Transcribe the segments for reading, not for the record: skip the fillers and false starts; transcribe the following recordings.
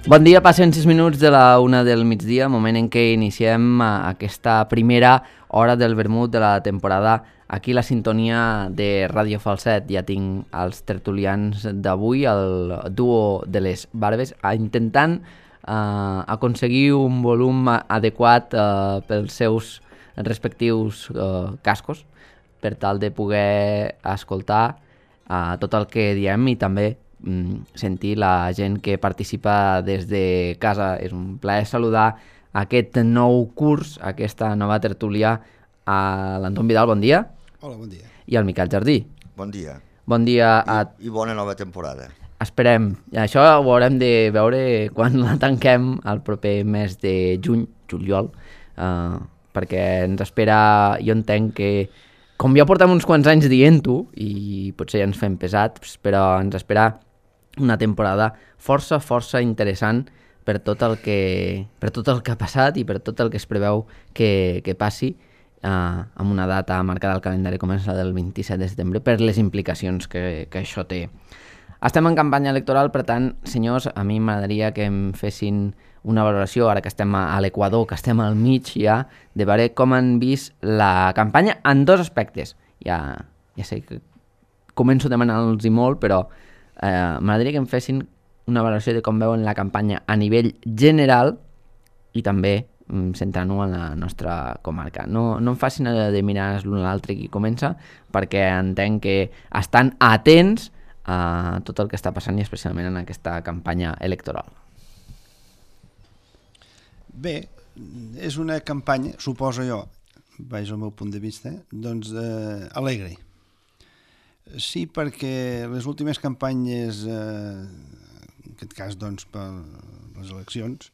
Bon dia, passen 6 minuts de la 1 del migdia, moment en què iniciem aquesta primera hora del vermut de la temporada. Aquí la sintonia de Ràdio Falset. Ja tinc els tertulians d'avui, el duo de les Barbes, intentant aconseguir un volum adequat pels seus respectius cascos, per tal de poder escoltar tot el que diem i també sentir la gent que participa des de casa. És un plaer saludar aquest nou curs, aquesta nova tertúlia, a l'Anton Vidal, bon dia. Hola, bon dia. I al Miquel Jardí. Bon dia. Bon dia I bona nova temporada. Esperem. Això ho haurem de veure quan la tanquem el proper mes de juny, juliol, perquè ens espera, jo entenc que, com ja portem uns quants anys dient-ho, i potser ja ens fem pesats, però ens espera una temporada força interessant per tot el que ha passat i per tot el que es preveu que passi amb una data marcada al calendari com és la del 27 de setembre, per les implicacions que això té. Estem en campanya electoral, per tant, senyors, a mi m'agradaria que em fessin una valoració, ara que estem a l'Equador, que estem al mig ja, de veure com han vist la campanya en dos aspectes. Ja sé que començo demanant-los molt, però m'agradaria que em fessin una valoració de com veuen la campanya a nivell general i també centrant-ho en la nostra comarca. No em facin de mirar l'un a l'altre qui comença, perquè entenc que estan atents a tot el que està passant i especialment en aquesta campanya electoral. Bé, és una campanya, suposo jo, vaig al meu punt de vista, doncs alegre. Sí, perquè les últimes campanyes, en aquest cas doncs per les eleccions,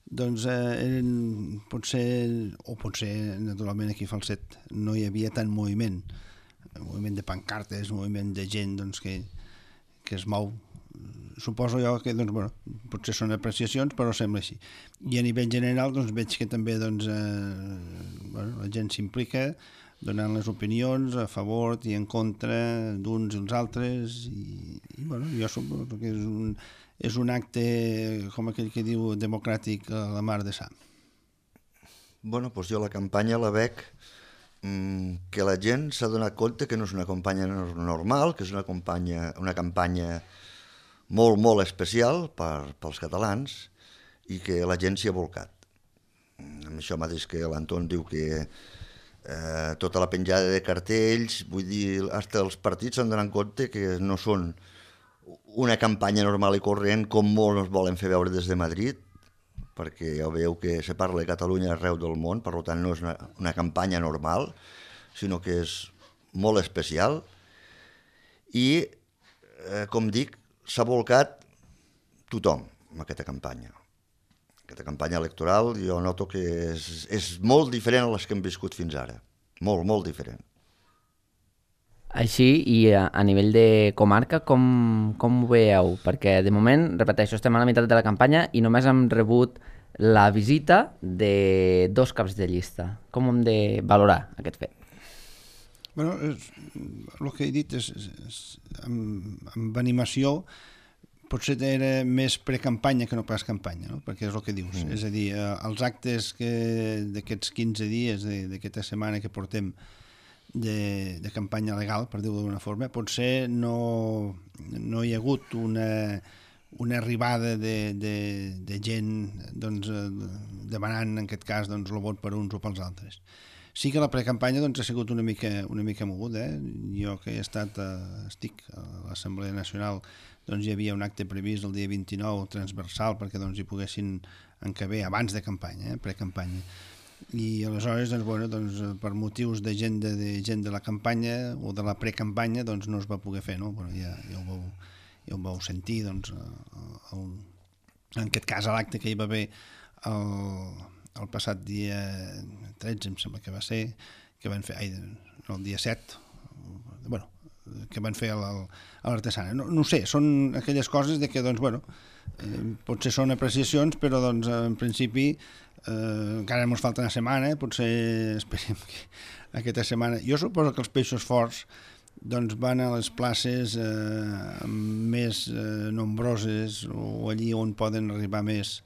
doncs eren potser naturalment aquí a Falset no hi havia tant moviment de pancartes, moviment de gent doncs, que es mou. Suposo jo que doncs, bueno, potser són apreciacions, però sembla així. I a nivell general doncs, veig que també doncs, la gent s'implica donant les opinions a favor i en contra d'uns i els altres i bueno, jo suposo que és un acte, com aquell que diu, democràtic a la mar de Sam. Bueno, doncs jo la campanya la veig que la gent s'ha donat compte que no és una campanya normal, que és una campanya molt especial pels catalans i que la gent s'hi ha volcat. Amb això mateix que l'Anton diu que tota la penjada de cartells, vull dir, fins els partits s'han donat compte que no són una campanya normal i corrent com molts ens volen fer veure des de Madrid, perquè ja veieu que se parla de Catalunya arreu del món, per tant no és una campanya normal, sinó que és molt especial i, com dic, s'ha volcat tothom en aquesta campanya. Aquesta campanya electoral jo noto que és molt diferent a les que hem viscut fins ara. Molt diferent. Així, i a nivell de comarca, com ho veieu? Perquè de moment, repeteixo, estem a la meitat de la campanya i només hem rebut la visita de 2 caps de llista. Com hem de valorar aquest fet? Bueno, el que he dit és amb animació potser era més precampanya que no pas campanya, no? Perquè és el que dius. És a dir, els actes d'aquests 15 dies, d'aquesta setmana que portem de campanya legal, per dir-ho d'una forma, potser no hi ha hagut una arribada de gent doncs, demanant, en aquest cas, doncs, el vot per uns o pels altres. Sí que la precampanya doncs, ha sigut una mica moguda. Jo que estic a l'Assemblea Nacional, doncs hi havia un acte previst el dia 29 transversal perquè doncs, hi poguessin encaber abans de campanya, precampanya. I aleshores, doncs, bueno, doncs, per motius de gent de la campanya o de la precampanya doncs, no es va poder fer, no? Bueno, ja ho vau sentir, doncs, en aquest cas a l'acte que hi va haver el passat dia 13, em sembla que va ser, que van fer, el dia 7, bueno, que van fer a l'Artesana. No ho sé, són aquelles coses de que, doncs, bueno, potser són apreciacions, però, doncs, en principi, encara ens falta una setmana, potser esperem que aquesta setmana... Jo suposo que els peixos forts doncs van a les places més nombroses o allí on poden arribar més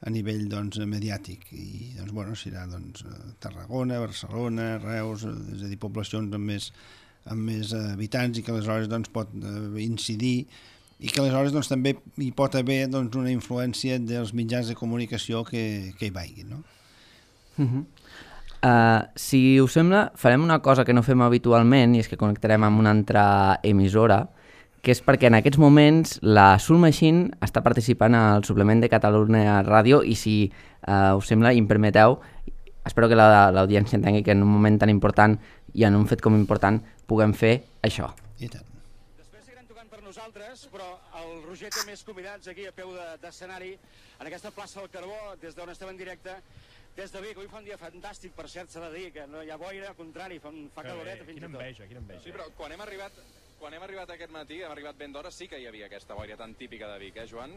a nivell doncs, mediàtic. I doncs, bueno, serà doncs, Tarragona, Barcelona, Reus, és a dir, poblacions amb més habitants i que aleshores doncs, pot incidir i que aleshores doncs, també hi pot haver doncs, una influència dels mitjans de comunicació que hi vagin, no? Si us sembla, farem una cosa que no fem habitualment i és que connectarem amb una altra emissora, que és perquè en aquests moments la Soul Machine està participant al suplement de Catalunya Ràdio i si us sembla i em permeteu, espero que l'audiència entengui que en un moment tan important i en un fet com important puguem fer això. I tant. Després seguirem tocant per nosaltres, però el Roger té més convidats aquí a peu d'escenari en aquesta plaça del Carbó, des d'on estem en directe, des de Vic. Avui fa un dia fantàstic, per cert, s'ha de dir que no hi ha boira, al contrari, fa caloreta fins i tot. Quina enveja. Sí, però quan hem arribat aquest matí, hem arribat ben d'hora, sí que hi havia aquesta boira tan típica de Vic, Joan?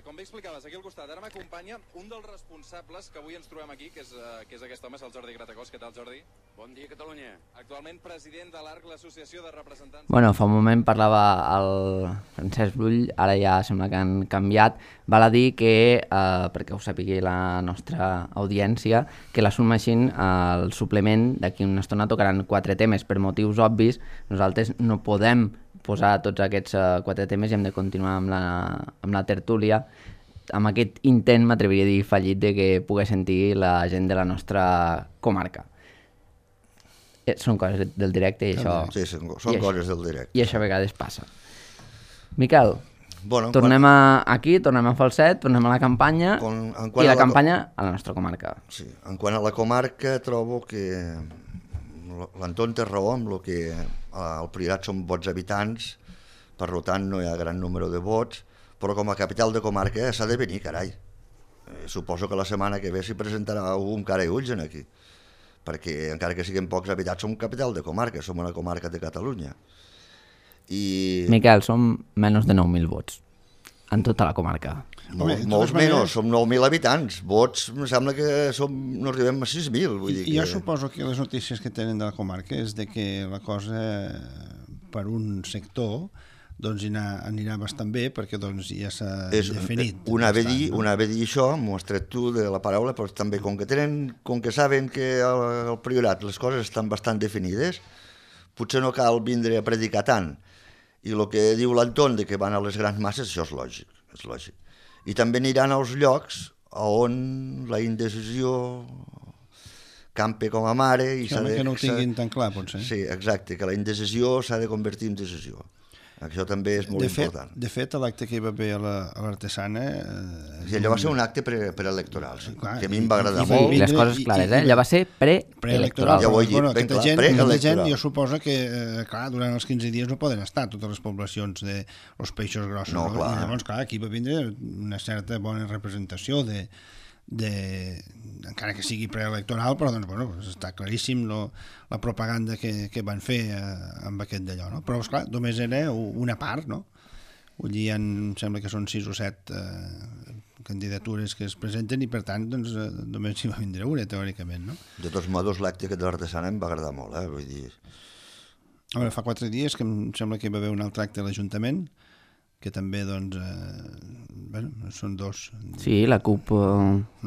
Com bé explicaves, aquí al costat, ara m'acompanya un dels responsables que avui ens trobem aquí, que és aquest home, és el Jordi Gratacós. Què tal, Jordi? Bon dia, Catalunya. Actualment president de l'ARC, l'associació de representants... Bueno, fa un moment parlava el Francesc Brull, ara ja sembla que han canviat. Val a dir que, perquè ho sàpigui la nostra audiència, que la Soul Machine, el suplement, d'aquí una estona tocaran 4 temes. Per motius obvis, nosaltres no podem posar tots aquests 4 temes i hem de continuar amb la tertúlia, amb aquest intent, m'atreviria a dir, fallit de que pugui sentir la gent de la nostra comarca. Són coses del directe i això... Sí, són coses del directe. I això a vegades passa. Miquel, bueno, tornem aquí, tornem a Falset, tornem a la campanya i la campanya a la nostra comarca. Sí, en quant a la comarca trobo que l'Anton té raó amb el que al Priorat són vots habitants, per tant no hi ha gran número de vots, però com a capital de comarca s'ha de venir, carai. Suposo que la setmana que ve s'hi presentarà algú amb cara i ulls aquí, perquè encara que siguem pocs habitants som capital de comarca, som una comarca de Catalunya. Miquel, som menys de 9.000 vots en tota la comarca. Molts menys, som 9.000 habitants. Vots, em sembla que no arribem a 6.000. Jo suposo que les notícies que tenen de la comarca és de que la cosa per un sector doncs anirà bastant bé perquè doncs ja s'ha definit. Una ve dir això, m'ho has tret tu de la paraula, però també com que saben que al Priorat les coses estan bastant definides, potser no cal vindre a predicar tant. I el que diu l'Anton de que van a les grans masses, això és lògic. I també aniran als llocs on la indecisió campe com a mare... Que no ho tinguin tan clar, potser. Sí, exacte, que la indecisió s'ha de convertir en decisió. Això també és molt important. De fet, l'acte que hi va haver a l'Artesana... I allò va ser un acte preelectoral, sí, que a mi em va agradar molt. I les coses clares, allò va ser preelectoral. Ja ho he dit, ben clar, preelectoral. Jo suposo que, clar, durant els 15 dies no poden estar totes les poblacions dels peixos grossos. No, clar. I llavors, clar, aquí va vindre una certa bona representació encara que sigui preelectoral, però doncs, bueno, està claríssim la propaganda que van fer amb aquest d'allò, no? Però, esclar, només era una part, no? Vull dir, em sembla que són 6 o 7 candidatures que es presenten i, per tant, doncs, només hi va vindre una, teòricament, no? De tots modos, l'acte que de l'Artesana em va agradar molt, vull dir... A veure, fa 4 dies que em sembla que hi va haver un altre acte a l'Ajuntament, que també, doncs, bueno, són 2. Sí, la CUP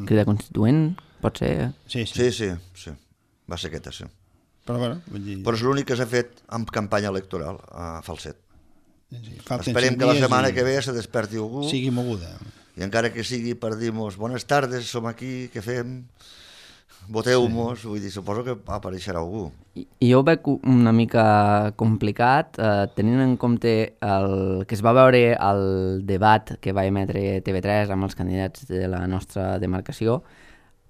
Crida Constituent, pot ser. Sí. Va ser aquesta, sí. Però, bueno, vull dir... Però és l'únic que s'ha fet amb campanya electoral a Falset. Sí, esperem que la setmana que ve se desperti algú. Sigui moguda. I encara que sigui per dir-nos bones tardes, som aquí, què fem? Voteu-nos, vull dir, suposo que apareixerà algú. I jo ho veig una mica complicat, tenint en compte que es va veure el debat que va emetre TV3 amb els candidats de la nostra demarcació.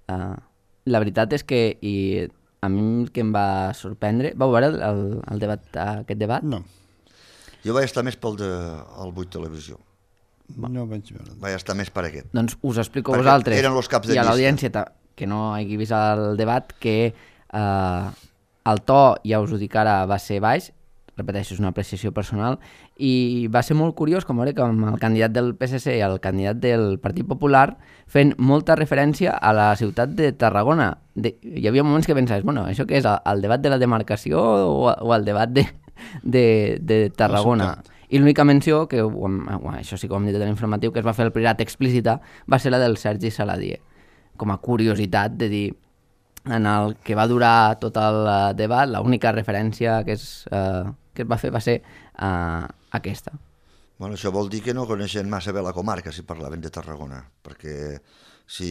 La veritat és que, i a mi el que em va sorprendre... Vau veure aquest debat? No. Jo vaig estar més pel 8 Televisió. No vaig veure. Vaig estar més per aquest. Doncs us explico a vosaltres eren els caps de i a llista. l'audiència que no hagi vist el debat que el to, ja us ho dic ara, va ser baix, repeteixo, és una apreciació personal, i va ser molt curiós com veure que amb el candidat del PSC i el candidat del Partit Popular fent molta referència a la ciutat de Tarragona. Hi havia moments que pensaves, bueno, això què és, el debat de la demarcació o el debat de Tarragona. I l'única menció, que això sí que ho hem dit en l'informatiu, que es va fer el Priorat explícita, va ser la del Sergi Saladier, com a curiositat de dir, en el que va durar tot el debat, l'única referència que es va fer va ser aquesta. Bueno, això vol dir que no coneixen massa bé la comarca si parlaven de Tarragona, perquè si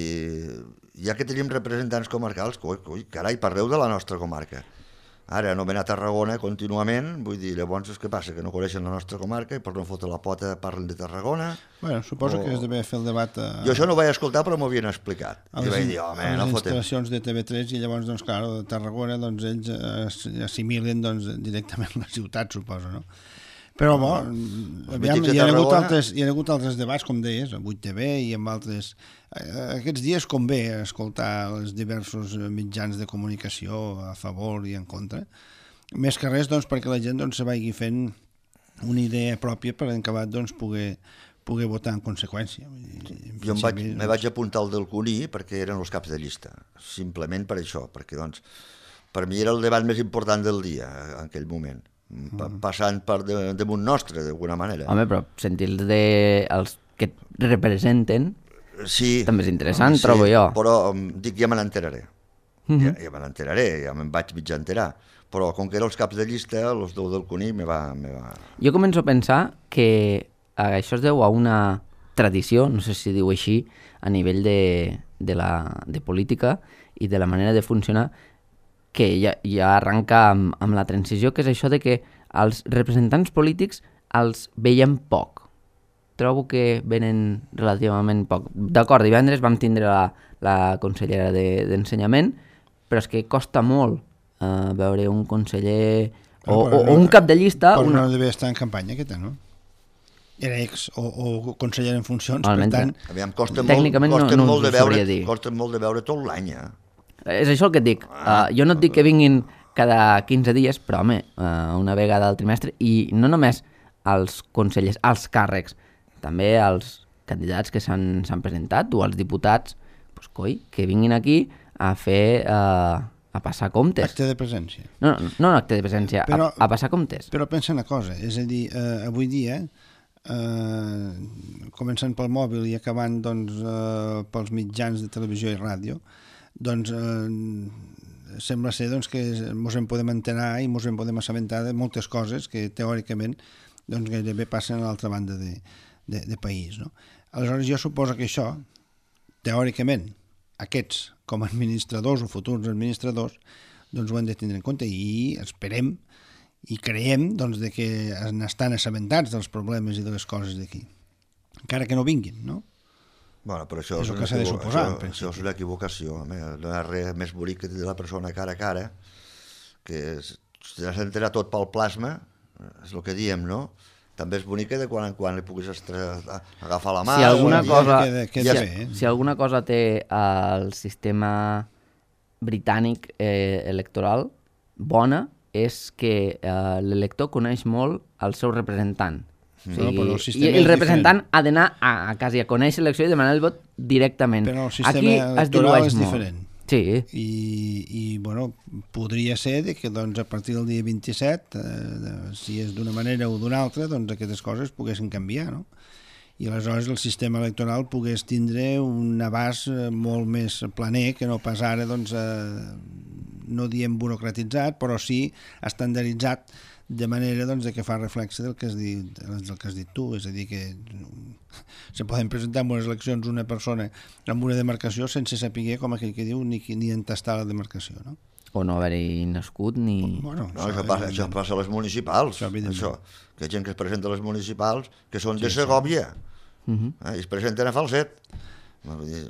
ja que tenim representants comarcals, carai, parleu de la nostra comarca. Ara anomenar Tarragona contínuament, vull dir, llavors què passa? Que no coneixen la nostra comarca i per no fotre la pota parlen de Tarragona? Bueno, suposo que has d'haver fer el debat Jo això no ho vaig escoltar, però m'ho havien explicat. a I vaig les dir, home, no fotem. instal·lacions de TV3 i llavors, doncs, clar, de Tarragona, doncs, ells assimilen doncs, directament la ciutat, suposo, no? Però, bo, aviam, hi ha hagut altres debats, com deies, a 8TV i amb altres... Aquests dies convé escoltar els diversos mitjans de comunicació a favor i en contra. Més que res, doncs, perquè la gent doncs, se vagi fent una idea pròpia per acabat doncs, poder votar en conseqüència. Jo me vaig apuntar al del Cuní perquè eren els caps de llista, simplement per això, perquè doncs, per mi era el debat més important del dia en aquell moment. Passant per damunt nostre, d'alguna manera. Home, però sentir els que et representen també és interessant, trobo jo. Però dic, ja me n'enteraré. Ja me n'enteraré, ja me'n vaig mitja enterar. Però com que eren els caps de llista, els del Cuní me va... Jo començo a pensar que això es deu a una tradició, no sé si diu així, a nivell de política i de la manera de funcionar, que ja arranca amb la transició, que és això de que els representants polítics els veiem poc. Trobo que venen relativament poc. D'acord, divendres vam tindre la consellera d'Ensenyament, però és que costa molt veure un conseller o un cap de llista... Però no devia estar en campanya, aquesta, no? Era ex o conseller en funcions, per tant... Aviam, costa molt de veure tot l'any, És això el que et dic. Jo no et dic que vinguin cada 15 dies, però, home, una vegada al trimestre, i no només els consellers, els càrrecs, també els candidats que s'han presentat o els diputats, doncs, que vinguin aquí a fer... a passar comptes. Acte de presència. No acte de presència, però, a passar comptes. Però pensa una cosa, és a dir, avui dia, començant pel mòbil i acabant doncs, pels mitjans de televisió i ràdio, doncs sembla ser doncs, que ens en podem enterar i ens en podem assabentar de moltes coses que teòricament doncs, gairebé passen a l'altra banda de país. No? Aleshores jo suposo que això, teòricament, aquests com a administradors o futurs administradors doncs ho hem de tindre en compte i esperem i creiem doncs, de que estan assabentats dels problemes i de les coses d'aquí, encara que no vinguin, no? Bueno, però això és el que s'ha de suposar. Això és una equivocació. No hi ha res més bonic que de la persona cara a cara, que s'ha d'entrar tot pel plasma, és el que diem, no? També és bonic de quan en quan li puguis agafar la mà. Si alguna cosa té el sistema britànic electoral bona, és que l'elector coneix molt el seu representant. O sigui, i el representant ha d'anar a casa i a conèixer l'elecció i demanar el vot directament. Però el sistema electoral és diferent. Sí. I bueno, podria ser que doncs, a partir del dia 27, si és d'una manera o d'una altra, doncs aquestes coses poguessin canviar, no? I aleshores el sistema electoral pogués tindre un abast molt més planer que no pas ara, doncs, no diem burocratitzat, però sí estandarditzat, de manera doncs, que fa reflexe del que has dit tu, és a dir, que se poden presentar en unes eleccions una persona amb una demarcació sense saber, com aquell que diu, ni entastar la demarcació, no? O no haver-hi nascut ni... Bueno, això passa a les municipals, això, que hi ha gent que es presenta a les municipals que són de Segòvia i es presenten a Falset.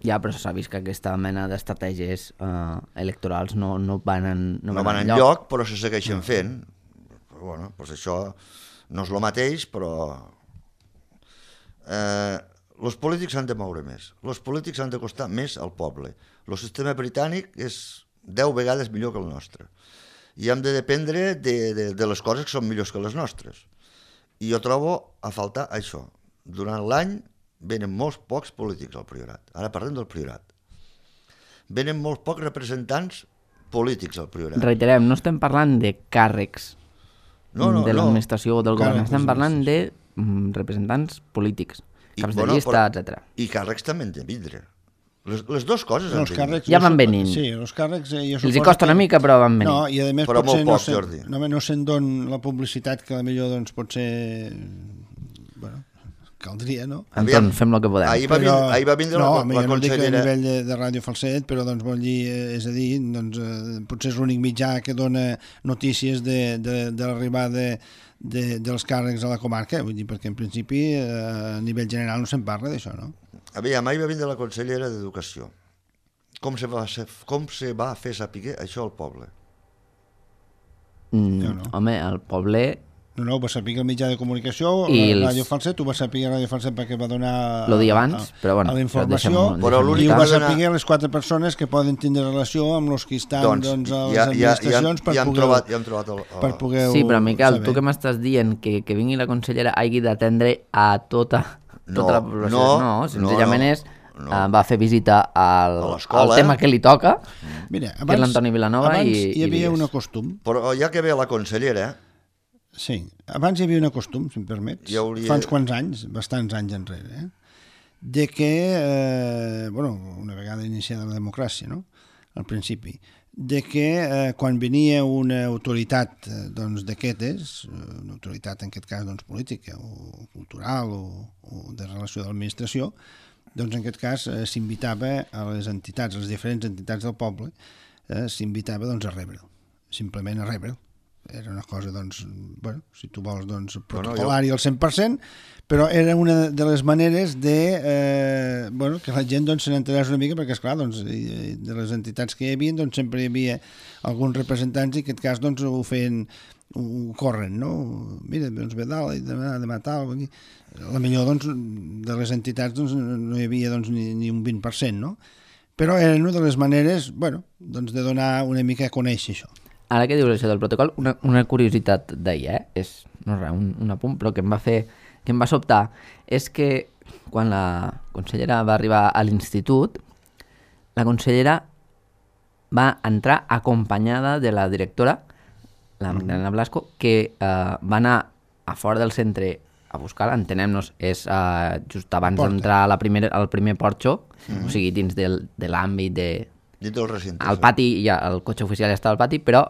Ja, però s'ha vist que aquesta mena d'estratègies electorals no van enlloc, però se segueixen fent. Bueno, doncs això no és el mateix, però els polítics s'han de moure més, els polítics han de costar més al poble. El sistema britànic és 10 vegades millor que el nostre i hem de dependre de les coses que són millors que les nostres. I jo trobo a faltar això. Durant l'any venen molts pocs polítics al Priorat. Ara parlem del Priorat. Venen molts pocs representants polítics al Priorat. Reiterem, no estem parlant de càrrecs. de l'administració del govern, Càrrecs, estem parlant de representants polítics, caps de llista, etc. I càrrecs també han de vindre. Les dues coses han de vindre. Ja van venint. Sí, els càrrecs... Els hi costa una mica, però van venint. No, i a més però potser molt poc, Jordi. no se'n don la publicitat que potser doncs, potser... Bueno, caldria, no? Anton, fem el que podem. Ahir va vindre la consellera... No dic a nivell de Ràdio Falset, però doncs vol dir, és a dir, doncs, potser és l'únic mitjà que dona notícies de l'arribada dels càrrecs a la comarca, vull dir, perquè en principi a nivell general no se'n parla d'això, no? Aviam, ahir va vindre la consellera d'Educació. Com se va fer saber això al poble? No. Home, el poble... No, ho va saber el mitjà de comunicació, Ràdio Falset, ho va saber Ràdio Falset perquè va donar lo dia abans, però bueno, la informació, i ho va saber les 4 persones que poden tindre relació amb els que estan a les administracions per poder Sí, però Miquel, tu que m'estàs dient que vingui la consellera hagi d'atendre a tota la població. No, senzillament és va fer visita al tema que li toca, que és l'Antoni Vilanova. Abans hi havia un costum. Però ja que ve la consellera... Sí, abans hi havia un costum, si em permets, fa uns quants anys, bastants anys enrere, de que, una vegada iniciada la democràcia, no?, al principi, de que quan venia una autoritat d'aquestes, una autoritat en aquest cas política o cultural o de relació de l'administració, doncs en aquest cas s'invitava a les entitats, a les diferents entitats del poble, s'invitava a rebre'l, simplement a rebre'l. Era una cosa, si tu vols, protocolari al 100%, però era una de les maneres de que la gent se n'enterés una mica, perquè, esclar, de les entitats que hi havia, sempre hi havia alguns representants i en aquest cas ho feien, ho corren, no? Mira, ve dalt i demà tal. La millor de les entitats no hi havia ni un 20%, no? Però era una de les maneres, de donar una mica a conèixer això. Ara que dius això del protocol, una curiositat d'ahir, és no res, un apunt, però que em va sobtar, és que quan la consellera va arribar a l'institut, la consellera va entrar acompanyada de la directora, la Magdalena Blasco, que va anar a fora del centre a buscar-la, entenem-nos, és just abans d'entrar al primer porxo, o sigui, dins de l'àmbit de... Al pati, el cotxe oficial ja estava al pati, però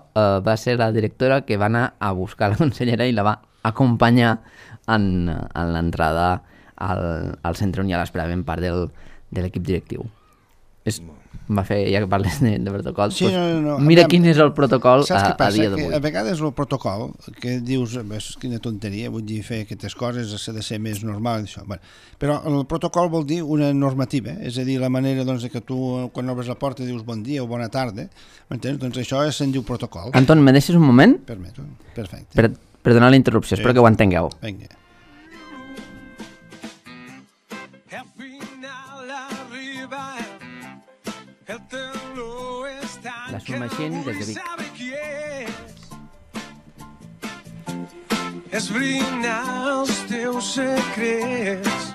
va ser la directora que va anar a buscar la consellera i la va acompanyar en l'entrada al centre on ja l'esperàvem part de l'equip directiu. Va fer, ja que parles de protocol, sí, mira quin és el protocol a dia d'avui. A vegades el protocol, que dius, quina tonteria, vull dir, fer aquestes coses s'ha de ser més normal, això. Però el protocol vol dir una normativa, és a dir, la manera que tu, quan obres la porta, dius bon dia o bona tarda, m'entens? Doncs això se'n diu protocol. Anton, me deixes un moment? Permeto, perfecte. Per donar la interrupció, espero que ho entengueu. Vinga. La Submachine des de Vic. Esbrinar els teus secrets.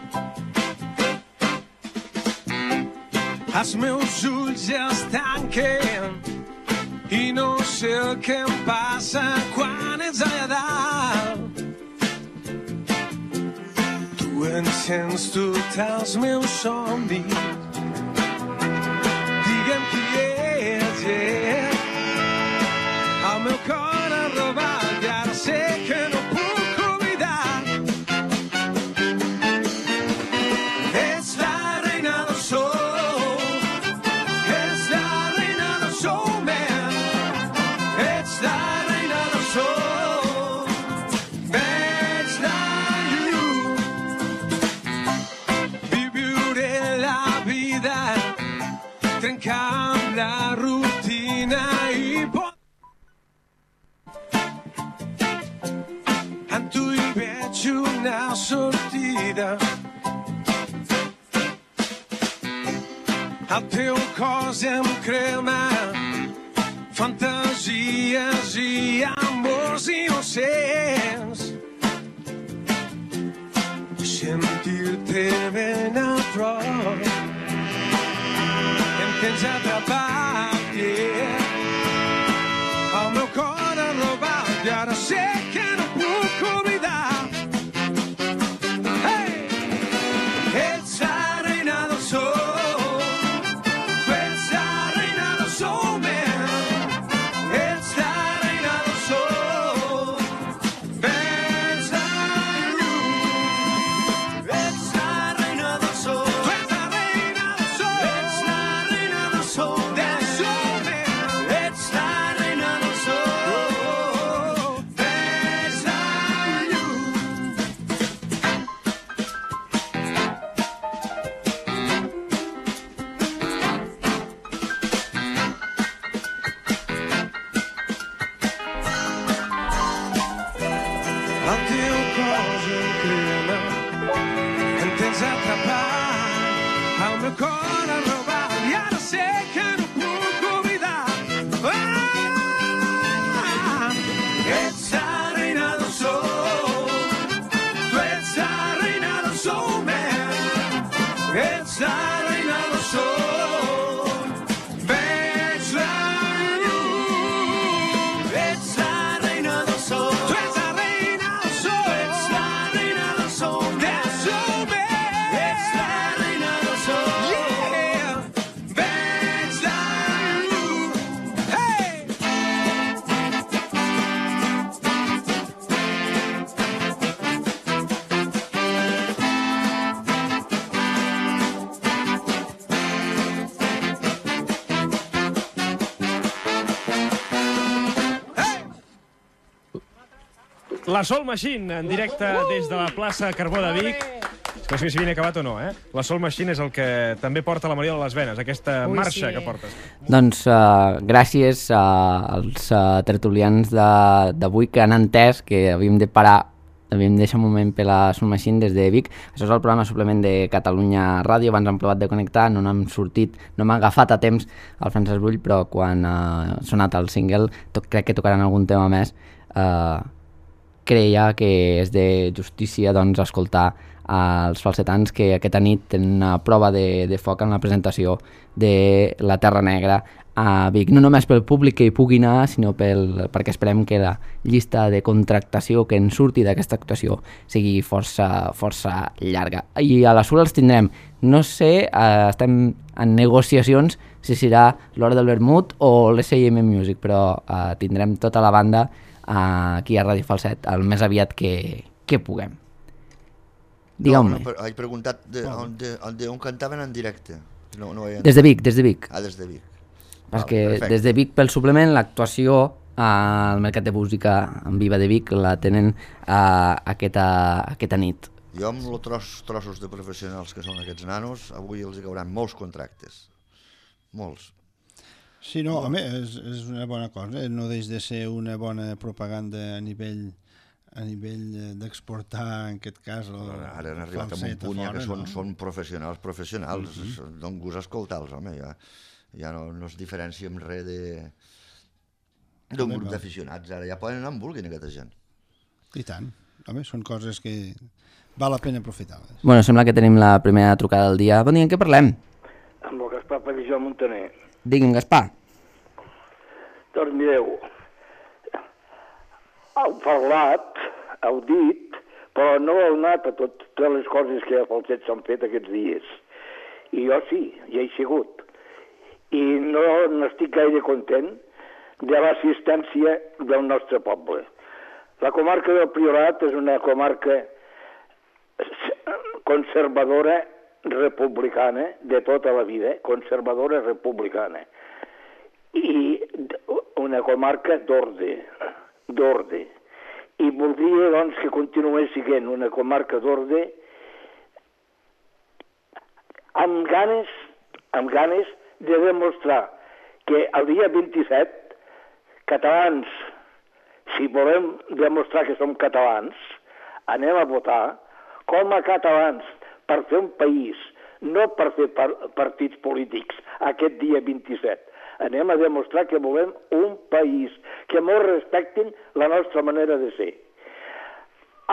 Els meus ulls ja es tanquen i no sé el que em passa quan ets allà dalt. Tu encens tots els meus somnis. Digue'm qui ets, el meu cor ha robat i ara sé que no puc oblidar. Ets la reina del soul, ets la reina del soul, man. Ets la reina del soul, ets la you. Viuré la vida trencant la rutina i en tu hi veig una sortida. El teu cos em crema fantasies i amors innocents. Sentir-te ben a prop em tens atrapat, yeah. El meu cor ha robat i ara sé que no cor a robar i ara sé que no puc oblidar. Ets la reina del sol, tu ets la reina del sol, man. Ets la reina del sol, veig la llum. Ets la reina del sol, tu ets la reina del sol, ets la reina del sol, del sol, man. Ets la reina del sol, yeah. Veig la llum, hey. La Soul Machine, en directe des de la plaça Carbó de Vic. No sé si havien acabat o no, eh? La Soul Machine és el que també porta la Maria de les venes, aquesta marxa que portes. Doncs gràcies als tertulians d'avui que han entès que havíem de parar, havíem de deixar un moment per la Soul Machine des de Vic. Això és el programa Suplement de Catalunya Ràdio. Abans hem provat de connectar, no n'hem sortit, no m'ha agafat a temps el Francesc Brull, però quan ha sonat el single, crec que tocaran algun tema més, creia que és de justícia doncs, escoltar els falsetans que aquesta nit tenen una prova de foc en la presentació de La Terra Negra a Vic. No només pel públic que hi pugui anar, sinó perquè esperem que la llista de contractació que en surti d'aquesta actuació sigui força llarga. I a la Sula els tindrem. No sé, estem en negociacions si serà l'Hora del Vermut o l'SIM Music, però tindrem tota la banda aquí a Ràdio Falset el més aviat que puguem. Digueu-me. No, he preguntat on cantaven en directe. No, des de Vic. Ah, des de Vic. Perquè des de Vic, pel suplement, l'actuació al Mercat de Música en Viva de Vic la tenen aquesta nit. Jo amb els trossos de professionals que són aquests nanos, avui els hi cauran molts contractes. Molts. Sí, no, home, és una bona cosa, no deix de ser una bona propaganda a nivell d'exportar, en aquest cas, ara han arribat a un punt ja que són professionals, don gust escoltar-los, home, ja no es diferencia amb res d'un grup d'aficionats, ara ja poden anar on vulguin aquesta gent. I tant, home, són coses que val la pena aprofitar-les. Bueno, sembla que tenim la primera trucada del dia. Bon dia, en què parlem? Amb el Gaspar Pellijo Montaner. Digue'm, Gaspar. Doncs mireu, heu parlat, heu dit, però no heu anat a totes les coses que a Falset s'han fet aquests dies. I jo sí, hi he sigut. I no n'estic gaire content de l'assistència del nostre poble. La comarca del Priorat és una comarca conservadora republicana de tota la vida, conservadora republicana. I una comarca d'ordre. I voldria, doncs, que continués sent una comarca d'ordre amb ganes de demostrar que el dia 27, catalans, si volem demostrar que som catalans, anem a votar com a catalans per fer un país, no per fer partits polítics aquest dia 27. Anem a demostrar que volem un país, que molt respectin la nostra manera de ser.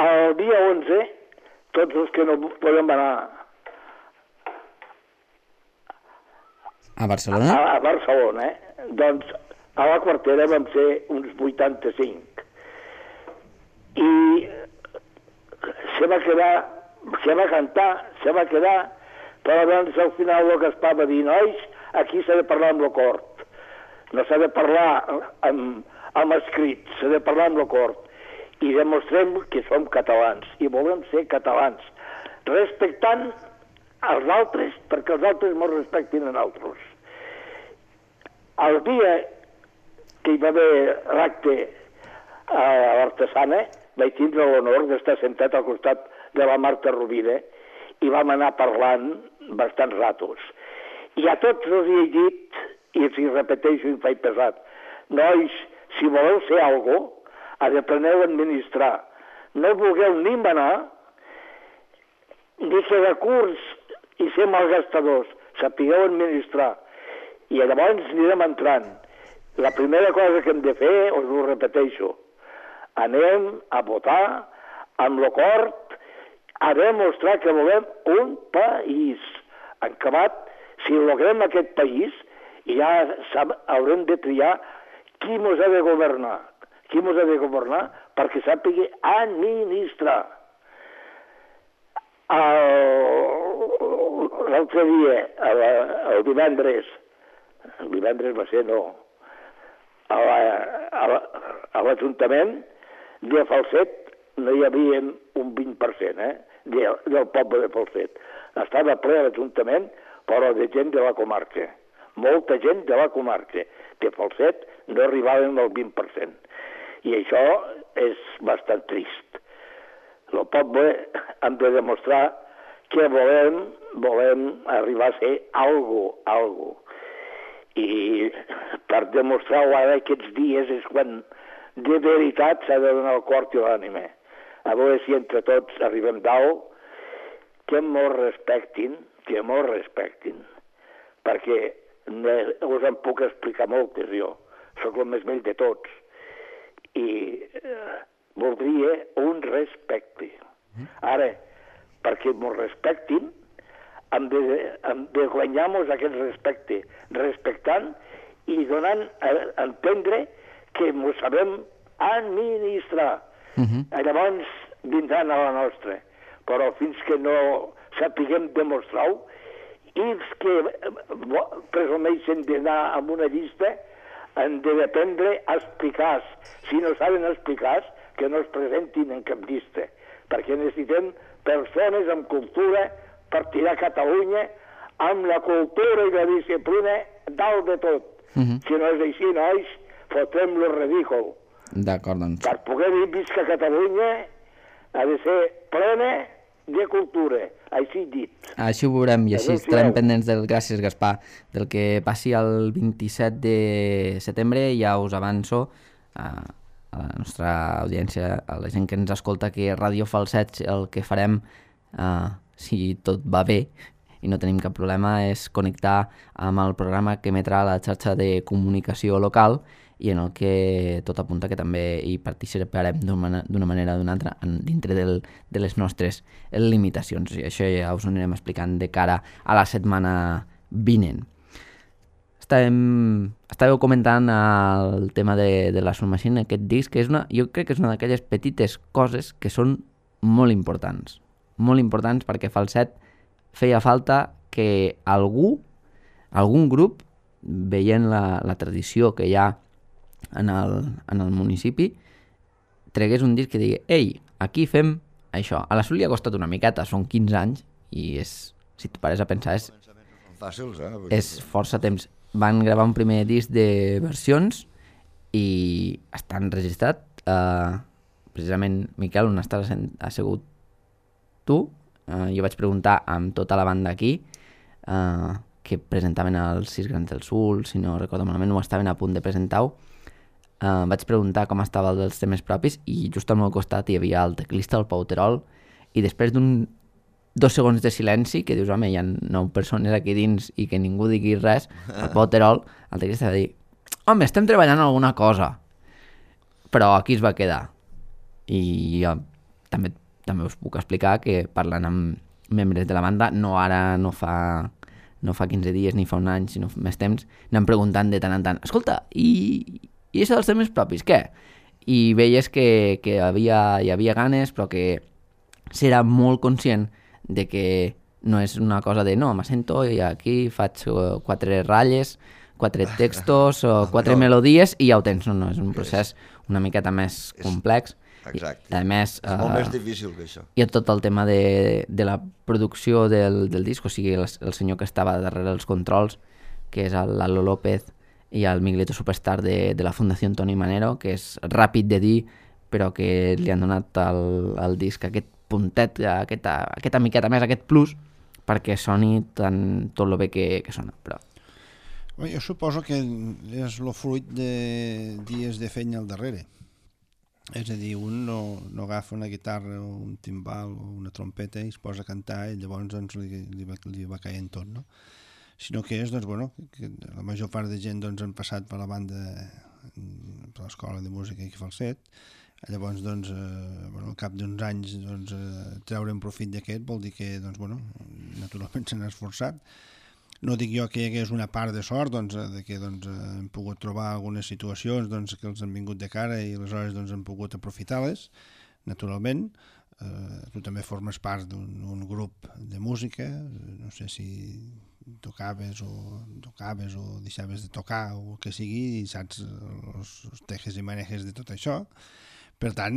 El dia 11, tots els que no podem anar a Barcelona? A Barcelona, doncs a la quartera vam ser uns 85. I se va quedar, però abans al final el Gaspar va dir, nois, aquí s'ha de parlar amb la cort. No s'ha de parlar amb escrit, s'ha de parlar amb la cort. I demostrem que som catalans i volem ser catalans, respectant els altres perquè els altres ens respectin a nosaltres. El dia que hi va haver l'acte a l'Artesana vaig tindre l'honor d'estar sentat al costat de la Marta Rovira i vam anar parlant bastants ratos. I a tots els hi he dit, i els hi repeteixo i faig pesat, nois, si voleu ser algo, apreneu a administrar. No vulgueu ni manar, ni quedar curts i ser malgastadors. sapigueu administrar. I llavors anirem entrant. La primera cosa que hem de fer, us ho repeteixo, anem a votar amb l'acord a demostrar que volem un país. En acabat, si logrem aquest país, ja haurem de triar qui mos ha de governar. Qui mos ha de governar perquè sàpiga administrar. L'altre dia, el divendres va ser, no, a l'Ajuntament de Falset no hi havia un 20%, del poble de Falset. Estava ple a l'Ajuntament, però de gent de la comarca. Molta gent de la comarca. De Falset no arribaven al 20%. I això és bastant trist. El poble hem de demostrar que volem arribar a ser algo. I per demostrar-ho ara aquests dies és quan de veritat s'ha de donar el cor i l'ànima. A veure si entre tots arribem dalt, que mos respectin, perquè us en puc explicar moltes jo, sóc el més vell de tots, i voldria un respecte. Ara, perquè mos respectin, hem de guanyar-nos aquest respecte, respectant i donant a entendre que mos sabem administrar. Llavors vindran a la nostra, però fins que no sapiguem demostrar-ho, i els que presumeixen d'anar amb una llista han de dependre explicar. Si no saben explicar, que no es presentin en cap llista, perquè necessitem persones amb cultura per tirar Catalunya amb la cultura i la disciplina dalt de tot. Si no és així, nois, fotem-lo ridícul. D'acord, doncs. Per poder dir visca Catalunya ha de ser plena de cultura, així dit. Així ho veurem i així estarem pendents del, gràcies Gaspar, del que passi el 27 de setembre. Ja us avanço a la nostra audiència, a la gent que ens escolta, que Ràdio Falset el que farem, si tot va bé i no tenim cap problema, és connectar amb el programa que emetrà la xarxa de comunicació local i en el que tot apunta que també hi participarem d'una manera o d'una altra dintre de les nostres limitacions. I això ja us ho anirem explicant de cara a la setmana vinent. Estàveu comentant el tema de la Soul Machine, aquest disc, que jo crec que és una d'aquelles petites coses que són molt importants perquè Falset feia falta que algun grup, veient la tradició que hi ha en el municipi, tregués un disc que digui: ei, aquí fem això. A la Soul li ha costat una miqueta, són 15 anys i si et pares a pensar és força temps. Van gravar un primer disc de versions i està enregistrat, precisament, Miquel, on estàs assegut tu? Jo vaig preguntar amb tota la banda aquí, que presentaven els 6 Grans del Sul, si no recordo malament, ho estaven a punt de presentar-ho. Vaig preguntar com estava el dels temes propis i just al meu costat hi havia el teclista, el Pau Terol, i després d'un 2 segons de silenci, que dius, home, hi ha 9 persones aquí dins i que ningú digui res, el Pau Terol, el teclista, va dir: home, estem treballant en alguna cosa, però aquí es va quedar. I jo també us puc explicar que parlant amb membres de la banda, no fa 15 dies ni fa un any, sinó més temps, anem preguntant de tant en tant: escolta, i això dels temes propis, què? I veies que hi havia ganes, però que s'era molt conscient de que no és una cosa de no, m'assento i aquí faig 4 ratlles, 4 textos o 4 melodies i ja ho tens. No, és un procés una miqueta més complex. Exacte. I, a més, és molt més difícil que això. I tot el tema de la producció del disc, o sigui, el senyor que estava darrere els controls, que és el Lalo López i el Miguelito Superstar de la Fundació Toni Manero, que és ràpid de dir, però que li han donat al disc aquest puntet, aquesta miqueta més, aquest plus, perquè soni tot el bé que sona. Però... Jo suposo que és el fruit de dies de feina al darrere. És a dir, un no agafa una guitarra o un timbal o una trompeta i es posa a cantar i llavors doncs, li va caient tot, no? sinó que és, doncs, bueno, que la major part de gent doncs, han passat per la banda, per l'escola de música i falset. Llavors, doncs, bueno, al cap d'uns anys doncs, treure un profit d'aquest vol dir que, doncs, bueno, naturalment s'han esforçat. No dic jo que hi hagués una part de sort, doncs, de que doncs, hem pogut trobar algunes situacions doncs, que els han vingut de cara i aleshores doncs, hem pogut aprofitar-les, naturalment. Tu també formes part d'un grup de música, no sé si tocaves o deixaves de tocar o el que sigui, i saps els tejes i manejes de tot això. Per tant,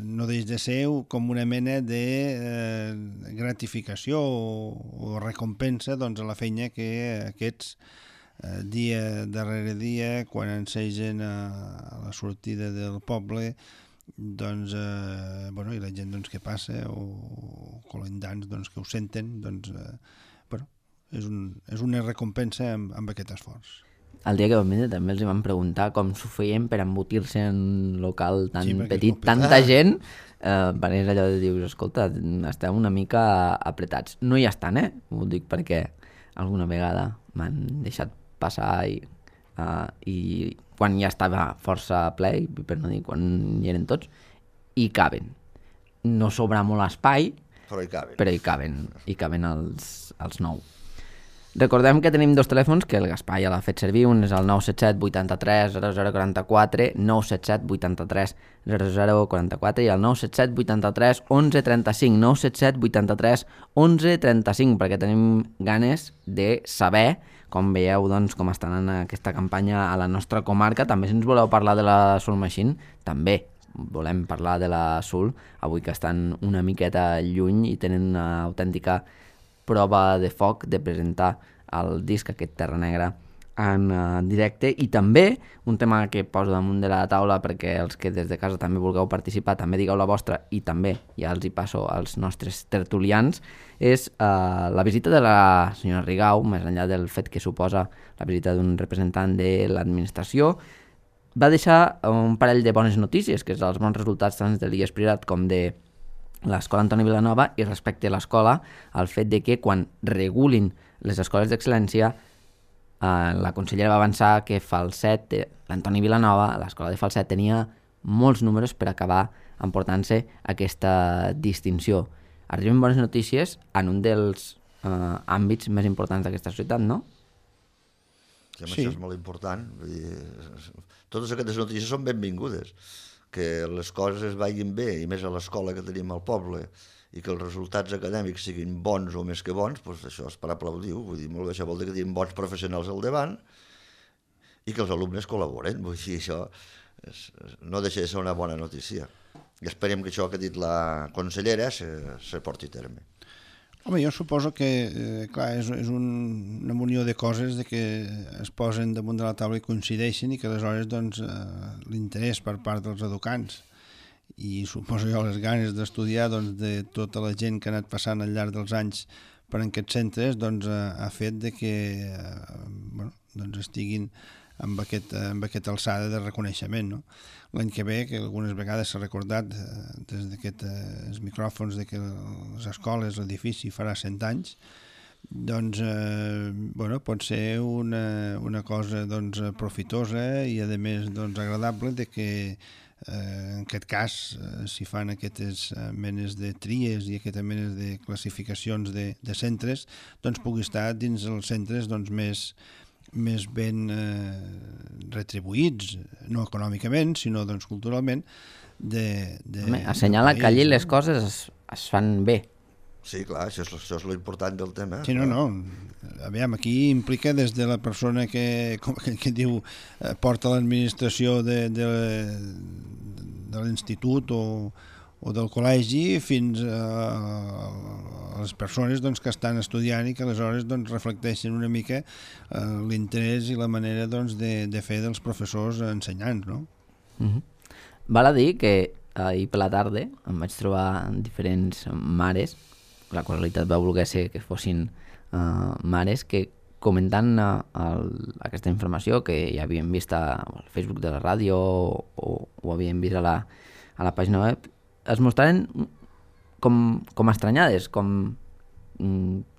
no deix de ser com una mena de gratificació o recompensa doncs, a la feina que aquests dia darrere dia, quan ensegen a la sortida del poble, doncs, bueno, i la gent doncs, que passa o colendants doncs, que ho senten, doncs, bueno, és una recompensa amb aquest esforç. El dia que vam vindre també els van preguntar com s'ho feien per embotir-se en un local tan petit, tanta gent, perquè és allò de dius, escolta, esteu una mica apretats. No hi estan, ho dic perquè alguna vegada m'han deixat passar i quan ja estava força ple, per no dir quan hi eren tots, hi caben. No sobra molt espai, però hi caben els 9. Recordem que tenim 2 telèfons que el Gaspar ja l'ha fet servir. Un és el 977 83 0044, 977 83 0044 i el 977 83 11 35, 977 83 11 35, perquè tenim ganes de saber com veieu doncs, com estan en aquesta campanya a la nostra comarca. També si ens voleu parlar de la Soul Machine, també volem parlar de la Soul, avui que estan una miqueta lluny i tenen una autèntica prova de foc de presentar el disc, aquest Terra Negra, en directe. I també un tema que poso damunt de la taula perquè els que des de casa també vulgueu participar, també digueu la vostra i també ja els hi passo als nostres tertulians, és la visita de la senyora Rigau, més enllà del fet que suposa la visita d'un representant de l'administració. Va deixar un parell de bones notícies, que és els bons resultats tant de l'IES Prirat com de l'Escola Antoni Vilanova, i respecte a l'escola, el fet de que quan regulin les escoles d'excel·lència, la consellera va avançar que Falset, l'Antoni Vilanova, l'escola de Falset, tenia molts números per acabar emportant-se aquesta distinció. Arriben bones notícies en un dels àmbits més importants d'aquesta societat, no? Sí, això és molt important. Vull dir, totes aquestes notícies són benvingudes. Que les coses es vagin bé, i més a l'escola que tenim al poble, i que els resultats acadèmics siguin bons o més que bons, doncs això és per aplaudir. Vull dir, molt bé, això vol dir que tenim bons professionals al davant i que els alumnes col·laboren. Vull dir, això no deixa de ser una bona notícia. I esperem que això que ha dit la consellera se porti a terme. Home, jo suposo que, clar, és una munió de coses de que es posen damunt de la taula i coincideixen i que aleshores doncs, l'interès per part dels educants i suposo jo les ganes d'estudiar doncs, de tota la gent que ha anat passant al llarg dels anys per aquests centres doncs, ha fet de que bueno, doncs estiguin amb aquesta alçada de reconeixement. No? L'any que ve, que algunes vegades s'ha recordat des d'aquests micròfons de que les escoles, l'edifici farà 100 anys, doncs bueno, pot ser una cosa doncs, profitosa i a més doncs, agradable de que en aquest cas si fan aquestes menes de tries i aquestes menes de classificacions de centres doncs pugui estar dins els centres doncs, més ben retribuïts, no econòmicament, sinó doncs, culturalment. Assenyala que allí les coses es fan bé. Sí, clar, això és l'important del tema. Sí, no. Aviam, aquí implica des de la persona que diu porta l'administració de l'institut o del col·legi fins a les persones doncs, que estan estudiant i que aleshores doncs, reflecteixen una mica l'interès i la manera doncs, de fer dels professors ensenyants. No? Val a dir que ahir per la tarda em vaig trobar diferents mares, la qualitat va voler ser que fossin mares que comentant aquesta informació que ja havien vist al Facebook de la ràdio o havien vist a la pàgina web, es mostraven com estranyades, com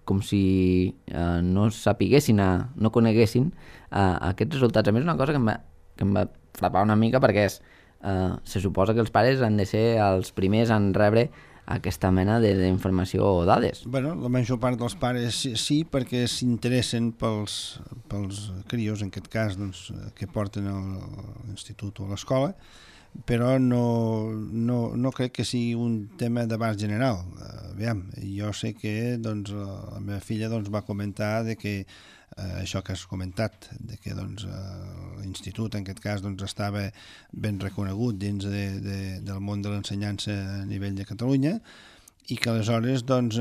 com si no sapiguessin, no coneguessin aquests resultats. A més, una cosa que em va frapar una mica perquè se suposa que els pares han de ser els primers en rebre aquesta mena d'informació o dades. Bueno, la major part dels pares sí, perquè s'interessen pels crios, en aquest cas, doncs, que porten a l'institut o a l'escola, però no crec que sigui un tema d'abast general. Aviam, jo sé que doncs, la meva filla doncs, va comentar de que això que has comentat, de que doncs, l'institut en aquest cas doncs, estava ben reconegut dins del món de l'ensenyança a nivell de Catalunya i que aleshores doncs,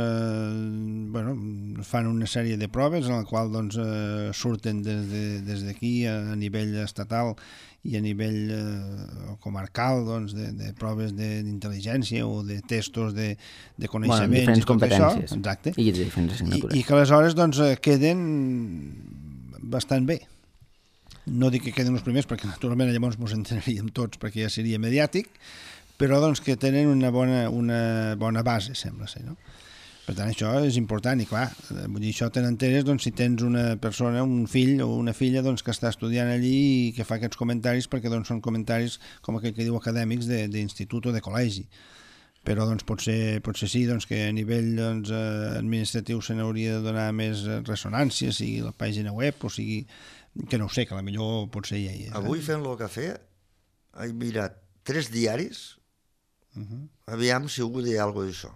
fan una sèrie de proves en la qual doncs, surten des d'aquí a nivell estatal i a nivell comarcal doncs, de proves d'intel·ligència o de testos de coneixements, diferents i tot competències, això. Exacte. i de diferents assignatures. I que aleshores doncs, queden bastant bé. No dic que queden els primers perquè naturalment llavors ens enteraríem tots perquè ja seria mediàtic, però doncs, que tenen una bona base, sembla ser, no? Per tant, això és important i clar, vull dir, això te n'enteres doncs, si tens una persona, un fill o una filla doncs, que està estudiant allí i que fa aquests comentaris perquè doncs, són comentaris com aquell que diu acadèmics d'institut o de col·legi. Però doncs, potser sí doncs, que a nivell doncs, administratiu se n'hauria de donar més ressonància, sigui la pàgina web o sigui, que no ho sé, que potser potser hi ha. Avui fent el cafè he mirat 3 diaris, aviam si algú deia alguna cosa d'això.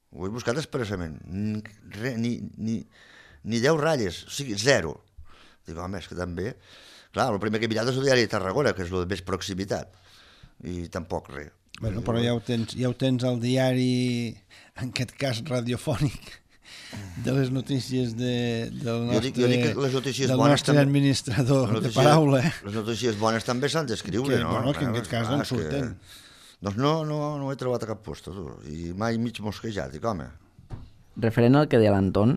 Ho he buscat expressament. Ni 10 ratlles, o sigui, 0. Dic, home, és que també... Clar, el primer que he mirat és el diari de Tarragona, que és el de més proximitat. I tampoc res. Bueno, però ja ho tens al diari, en aquest cas radiofònic, de les notícies del nostre administrador de paraula. Les notícies bones també s'han d'escriure, no? Bueno, que en aquest cas doncs surten. Doncs no he trobat a cap posta, tu. I mai mig mosquejat, dic, home. Referent al que deia l'Anton,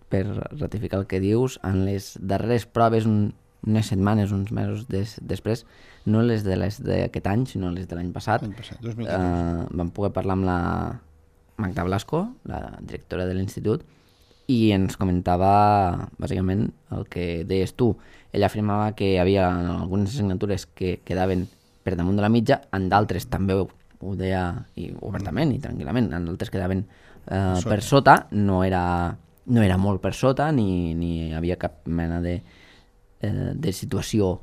per ratificar el que dius, en les darreres proves, unes setmanes, uns mesos després, no les d'aquest any, sinó les de l'any passat, 2014. Vam poder parlar amb la Magda Blasco, la directora de l'institut, i ens comentava bàsicament el que deies tu. Ella afirmava que hi havia algunes assignatures que quedaven per damunt de la mitja, en d'altres també ho deia obertament i tranquil·lament, en d'altres quedaven per sota, no era molt per sota, ni hi havia cap mena de situació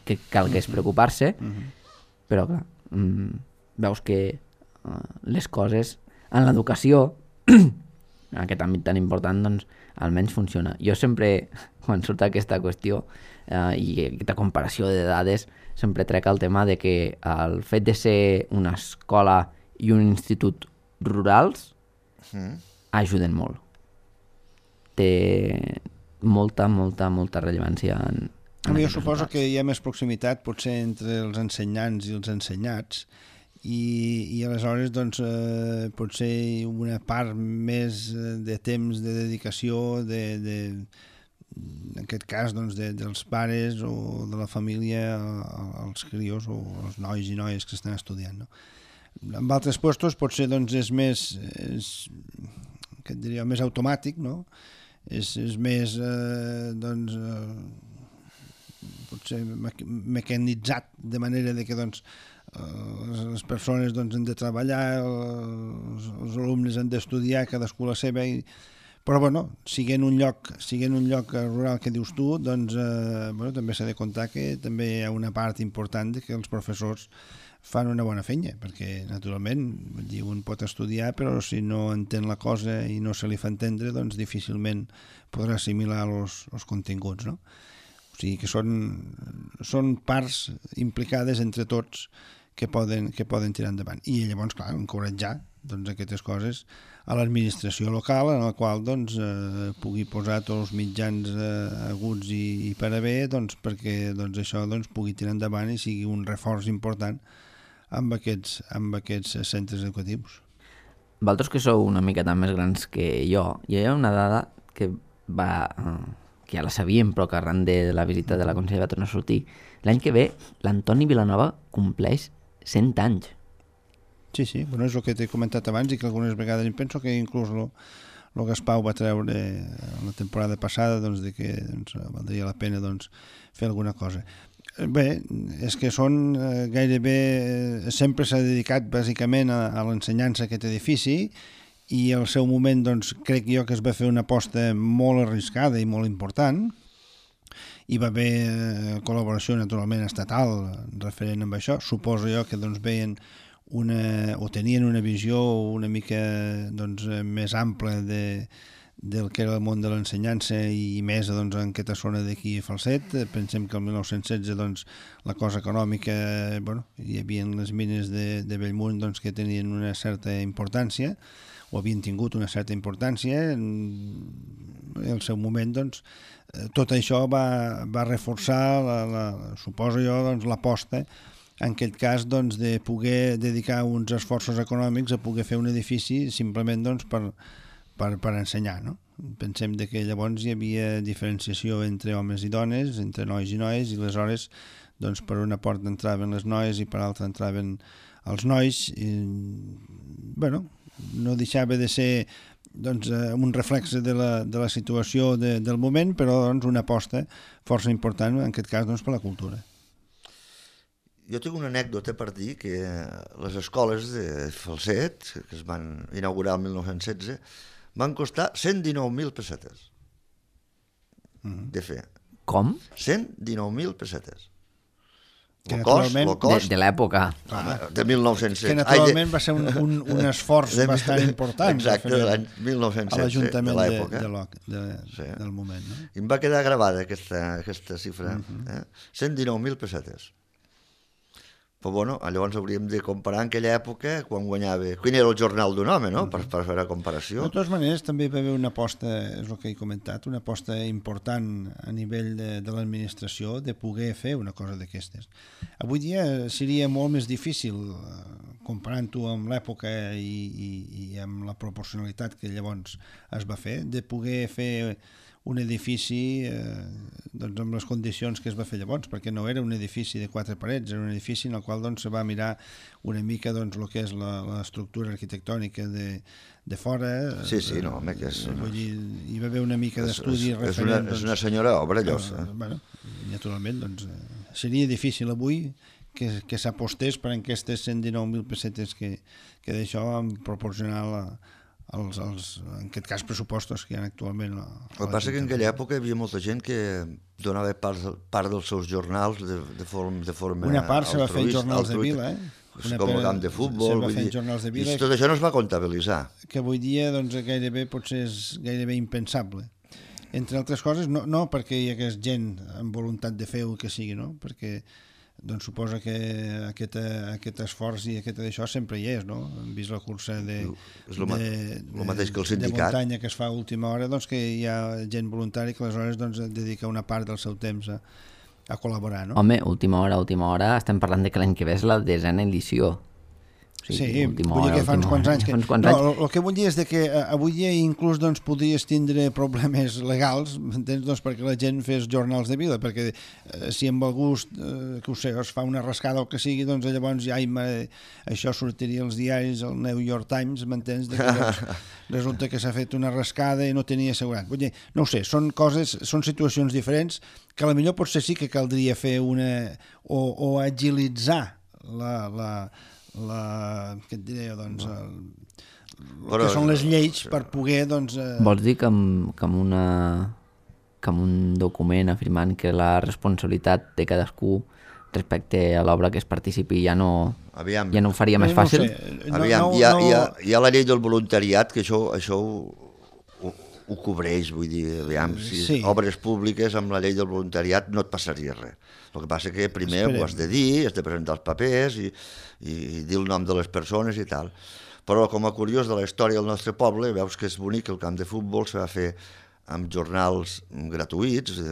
que calgués preocupar-se, però clar, veus que les coses en l'educació, en aquest àmbit tan important, doncs almenys funciona. Jo sempre, quan surt aquesta qüestió i aquesta comparació de dades, sempre trec el tema de que el fet de ser una escola i un institut rurals ajuden molt. Té molta rellevància en jo suposo que hi ha més proximitat potser entre els ensenyants i els ensenyats i aleshores doncs, potser una part més de temps de dedicació en aquest cas doncs, dels pares o de la família als crios o als nois i noies que estan estudiant, no? En altres llocs potser doncs, és més que et diria, més automàtic, no? És més doncs, potser mecanitzat de manera de que doncs, les persones doncs, han de treballar, els alumnes han d'estudiar, cadascú la seva, però bueno, siguent un lloc rural que dius tu, doncs també s'ha de comptar que també hi ha una part important de que els professors fan una bona feina, perquè naturalment un pot estudiar, però si no entén la cosa i no se li fa entendre, doncs difícilment podrà assimilar els continguts, no? O sigui que són parts implicades entre tots que poden tirar endavant. I llavors, clar, encoratjar doncs, aquestes coses a l'administració local, en la qual doncs, pugui posar tots els mitjans aguts i per a bé doncs, perquè doncs, això doncs, pugui tirar endavant i sigui un reforç important amb aquests centres educatius. Vosaltres que sou una miqueta més grans que jo, hi ha una dada que ja la sabíem, però que arran de la visita de la consellera va tornar a sortir. L'any que ve, l'Antoni Vilanova compleix 100 anys. Sí, bueno, és el que t'he comentat abans i que algunes vegades em penso que inclús el Gaspau va treure la temporada passada, doncs, de que valdria la pena doncs, fer alguna cosa. Bé, és que són gairebé... Sempre s'ha dedicat bàsicament a l'ensenyança aquest edifici i al seu moment doncs, crec jo que es va fer una aposta molt arriscada i molt important. Hi va haver col·laboració naturalment estatal referent amb això. Suposo jo que doncs, veien o tenien una visió una mica doncs, més ampla del que era el món de l'ensenyança i més doncs, en aquesta zona d'aquí a Falset. Pensem que el 1916 doncs, la cosa econòmica, bueno, hi havia les mines de Bellmunt doncs, que tenien una certa importància o havien tingut una certa importància. En el seu moment doncs, tot això va reforçar, suposo jo, doncs, l'aposta en aquest cas doncs, de poder dedicar uns esforços econòmics a poder fer un edifici simplement doncs, per ensenyar. No? Pensem que llavors hi havia diferenciació entre homes i dones, entre nois i noies, i aleshores doncs, per una porta entraven les noies i per l'altra entraven els nois. Bueno, no deixava de ser doncs, un reflex de la situació del moment, però doncs, una aposta força important, en aquest cas doncs, per la cultura. Jo tinc una anècdota per dir que les escoles de Falset, que es van inaugurar el 1916, van costar 119.000 pessetes de fer. Com? 119.000 pessetes. Que naturalment... De l'època. De 1916. Que naturalment va ser un esforç bastant important. Exacte, de l'any 1916. A l'Ajuntament de l'època. Del moment. No? I em va quedar gravada aquesta xifra. 119.000 pessetes. Però bueno, llavors hauríem de comparar en aquella època quan guanyava... Quin era el jornal d'un home, no?, per fer la comparació. De totes maneres, també va haver una aposta, és el que he comentat, una aposta important a nivell de l'administració de poder fer una cosa d'aquestes. Avui dia seria molt més difícil, comparant-ho amb l'època i amb la proporcionalitat que llavors es va fer, de poder fer un edifici doncs, amb les condicions que es va fer llavors, perquè no era un edifici de 4 parets, era un edifici en el qual doncs, se va mirar una mica doncs, el que és l'estructura arquitectònica de fora. Sí, no, home, que és... Vull dir, hi va haver una mica d'estudi referent... És una senyora obra, llosa. Bueno, naturalment, doncs, seria difícil avui que s'apostés per aquestes 119.000 pessetes que d'això en proporcionar en aquest cas pressupostos que hi ha actualment. El que passa que en aquella època hi havia molta gent que donava part dels seus jornals de forma una part se va fer en jornals de vila, com el camp de futbol, vull dir, i tot això no es va comptabilitzar. Que avui dia doncs, gairebé potser és gairebé impensable. Entre altres coses, no perquè hi hagués gent amb voluntat de fer el que sigui, no? Perquè doncs suposa que aquest esforç i aquest d'això sempre hi és, no? Hem vist la cursa de muntanya que es fa a última hora, doncs que hi ha gent voluntària que aleshores doncs, dedica una part del seu temps a col·laborar, no? Home, última hora, estem parlant de que l'any que ve és la 10a edició. Sí, vull dir que fa uns quants anys. El que vull dir és que avui dia inclús doncs, podries tindre problemes legals, m'entens? Doncs, perquè la gent fes jornals de vila, perquè si amb el gust, que ho sé, es fa una rascada o que sigui, doncs llavors ja això sortiria als diaris, al New York Times, m'entens? Resulta que s'ha fet una rascada i no tenia assegurat. Vull dir, no ho sé, són situacions diferents que potser potser sí que caldria fer o agilitzar què et diré, doncs, que són les lleis per poder, doncs... Vols dir que amb un document afirmant que la responsabilitat de cadascú respecte a l'obra que es participi ja no ho faria més fàcil? Hi ha la llei del voluntariat, que això ho cobreix, vull dir, si obres públiques amb la llei del voluntariat no et passaria res. El que passa que primer ho has de dir, has de presentar els papers i dir el nom de les persones i tal. Però com a curiós de la història del nostre poble, veus que és bonic, el camp de futbol se va fer amb jornals gratuïts,